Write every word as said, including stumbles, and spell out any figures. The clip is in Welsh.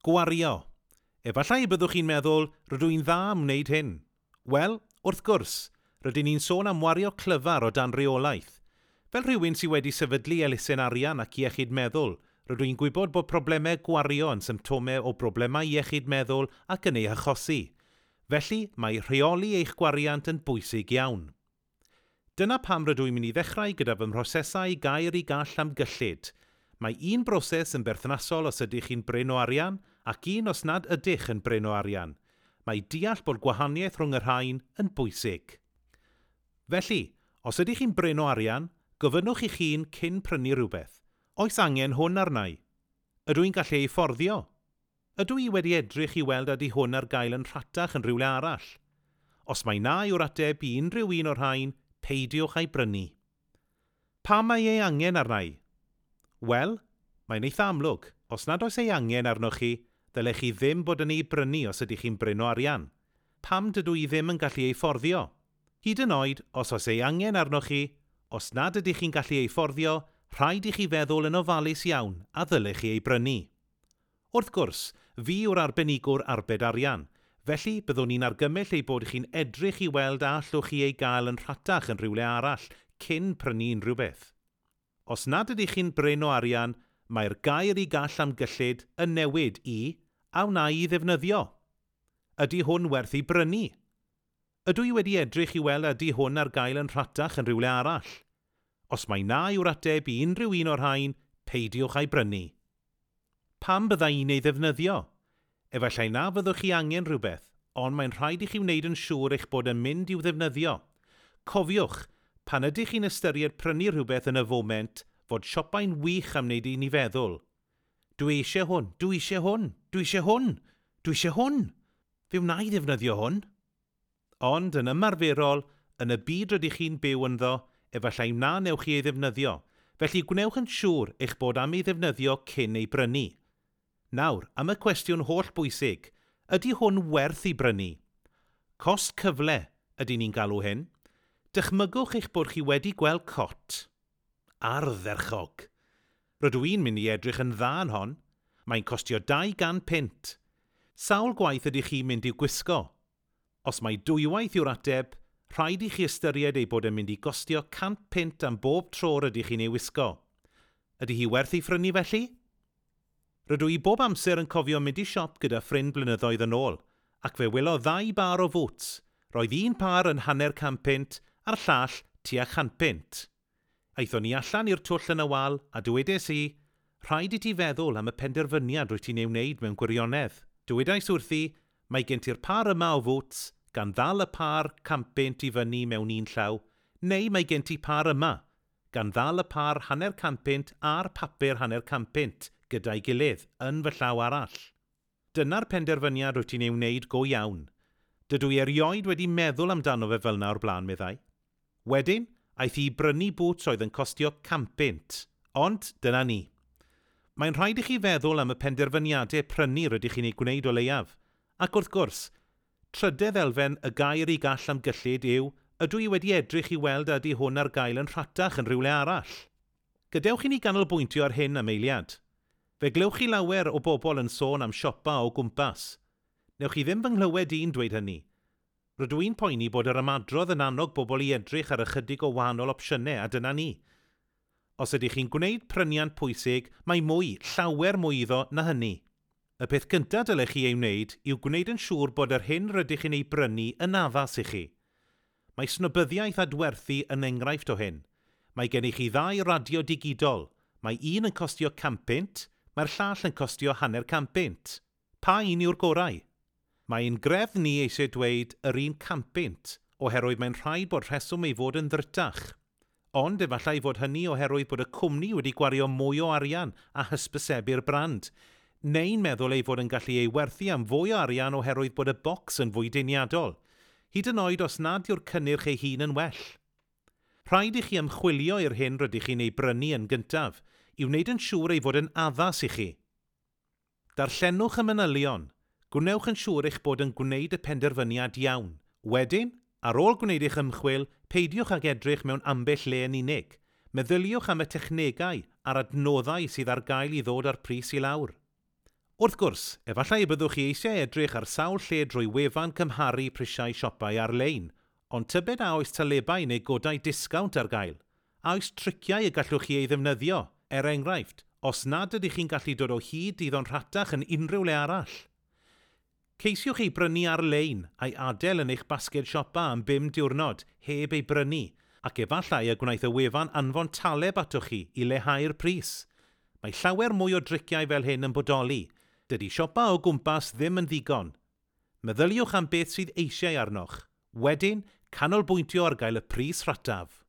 Gwario. Efallai y byddwch chi'n meddwl, "Rydw i'n dda am wneud hyn." Wel, wrth gwrs, rydyn ni'n sôn am wario clyfar o dan reolaeth. Fel rhywun sydd wedi sefydlu elusen arian ac iechyd meddwl, rydw i'n gwybod bod problemau gwario yn symptomau o broblemau iechyd meddwl ac yn ei achosi. Felly, mae rheoli eich gwariant yn bwysig iawn. Dyna pam rydw i'n mynd i ddechrau gyda fy mhrosesau gair i gall am gyllid. Mae un broses yn berthnasol os ydych chi'n brin o arian ac un os nad ydych yn brin o arian. Mae deall bod gwahaniaeth rhwng y rhain yn bwysig. Felly, os ydych chi'n brin o arian, gofynnwch i'ch hun cyn prynu rhywbeth: Oes angen hwn arna i? Ydw i'n gallu ei fforddio? Ydw i wedi edrych i weld ydy hwn ar gael yn rhatach yn rhywle arall? Os mai na yw'r ateb i unrhyw un o'r rhain, peidiwch â'i brynu. Pam mae ei angen arna i? Wel, mae'n eitha amlwg. Os nad oes ei angen arnoch chi, ddylech chi ddim bod yn ei brynu os ydych chi'n brin o arian. Pam dydw i ddim yn gallu ei fforddio? Hyd yn oed, os oes ei angen arnoch chi, os nad ydych chi'n gallu ei fforddio, rhaid i chi feddwl yn ofalus iawn a ddylech chi ei brynu. Wrth gwrs, fi yw'r arbenigwr arbed arian, felly byddwn ni'n argymell ei bod chi'n edrych i weld a allwch chi ei gael yn rhatach yn rhywle arall cyn prynu unrhyw beth. Os nad ydych chi'n brin o arian, mae'r gair i gall am gyllid yn newid i "A wna i ddefnyddio? Ydy hwn werth ei brynu? Ydw i wedi edrych i weld ydy hwn ar gael yn rhatach yn rhywle arall?" Os mai na yw'r ateb i unrhyw un o'r rhain, peidiwch â'i brynu. Pam bydda i'n ei ddefnyddio? Efallai na fyddwch chi angen rhywbeth, ond mae'n rhaid i chi wneud yn siŵr eich bod yn mynd i'w ddefnyddio. Cofiwch, pan ydych chi'n ystyried prynu rhywbeth yn y foment, fod siopau'n wych am wneud i ni feddwl, "Dwi eisiau hwn, dwi eisiau hwn, dwi eisiau hwn, dwi eisiau hwn. Fe wna i ddefnyddio hwn." Ond yn ymarferol, yn y byd rydych chi'n byw ynddo, efallai na newch chi ei ddefnyddio, felly gwnewch yn siŵr eich bod am ei ddefnyddio cyn ei brynu. Nawr, am y cwestiwn holl bwysig, ydy hwn werth ei brynu? Cost cyfle ydy ni'n galw hyn. Dychmygwch eich bod chi wedi gweld cot. Ardderchog. Rydw i'n mynd i edrych yn dda yn hon. Mae'n costio dau gant punt. Sawl gwaith ydych chi'n mynd i'w gwisgo? Os mai dwywaith yw'r ateb, rhaid i chi ystyried ei bod yn mynd i gostio can punt am bob tro rydych chi'n ei wisgo. Ydy hi werth ei phrynu felly? Rydw i bob amser yn cofio mynd i siop gyda ffrind blynyddoedd yn ôl, ac fe welodd ddau bar o fwts. Roedd un par yn hanner can punt a'r llall tua chan punt. Aethon ni allan i'r twll yn y wal a dywedais i, "Rhaid i ti feddwl am y penderfyniad rwyt ti'n ei wneud mewn gwirionedd." Dywedais wrthi, "Mae gen ti'r par yma o fwts, gan ddal y par can punt i fyny mewn un llaw, neu mae gen ti par yma, gan ddal y par hanner can punt a'r papur hanner can punt gyda'i gilydd yn fy llaw arall. Dyna'r penderfyniad rwyt ti'n ei wneud go iawn. Dydw i erioed wedi meddwl amdano fe fel 'na o'r blaen," meddai. Wedyn, aeth hi i brynu bŵts oedd yn costio can punt. Ond dyna ni. Mae'n rhaid i chi feddwl am y penderfyniadau prynu rydych chi'n ei gwneud o leiaf. Ac wrth gwrs, trydedd elfen y gair i gall am gyllid yw, ydw i wedi edrych i weld ydy hwn ar gael yn rhatach yn rhywle arall? Gadewch i ni ganolbwyntio ar hyn am eiliad. Fe glywch chi lawer o bobl yn sôn am siopa o gwmpas. Newch chi ddim fy nghlywed i'n dweud hynny. Rydw i'n poeni bod yr ymadrodd yn annog bobl i edrych ar ychydig o wahanol opsiynau a dyna ni. Os ydych chi'n gwneud pryniant pwysig, mae mwy, llawer mwy iddo na hynny. Y peth cyntaf dylech chi ei wneud yw gwneud yn siŵr bod yr hyn rydych chi'n ei brynu yn addas i chi. Mae snobyddiaeth adwerthu yn enghraifft o hyn. Mae gennych chi ddau radio digidol. Mae un yn costio can punt, mae'r llall yn costio hanner can punt. Pa un yw'r gorau? Mae ein greddf ni eisiau dweud yr un can punt, oherwydd mae'n rhaid bod rheswm ei fod yn ddrytach. Ond efallai fod hynny oherwydd bod y cwmni wedi gwario mwy o arian a hysbysebu'r brand, neu'n meddwl ei fod yn gallu ei werthu am fwy o arian oherwydd bod y bocs yn fwy deniadol, hyd yn oed os nad yw'r cynnyrch ei hun yn well. Rhaid i chi ymchwilio i'r hyn rydych chi'n ei brynu yn gyntaf, i wneud yn siŵr ei fod yn addas i chi. Darllenwch y manylion. Gwnewch yn siŵr eich bod yn gwneud y penderfyniad iawn. Wedyn, ar ôl gwneud eich ymchwil, peidiwch ag edrych mewn ambell le yn unig. Meddyliwch am y technegau a'r adnoddau sydd ar gael i ddod â'r pris i lawr. Wrth gwrs, efallai y byddwch chi eisiau edrych ar sawl lle drwy wefan cymharu prisiau siopau ar-lein, ond tybed a oes talebau neu godau disgownt ar gael? A oes triciau y gallwch chi ei ddefnyddio, er enghraifft, os nad ydych chi'n gallu dod o hyd iddo'n rhatach yn unrhyw le arall? Ceisiwch ei brynu ar-lein a'i adael yn eich basged siopa am bum diwrnod heb ei brynu, ac efallai y gwnaeth y wefan anfon taleb atoch chi i leihau'r pris. Mae llawer mwy o driciau fel hyn yn bodoli. Dydy siopa o gwmpas ddim yn ddigon. Meddyliwch am beth sydd eisiau arnoch. Wedyn, canolbwyntio ar gael y pris rhataf.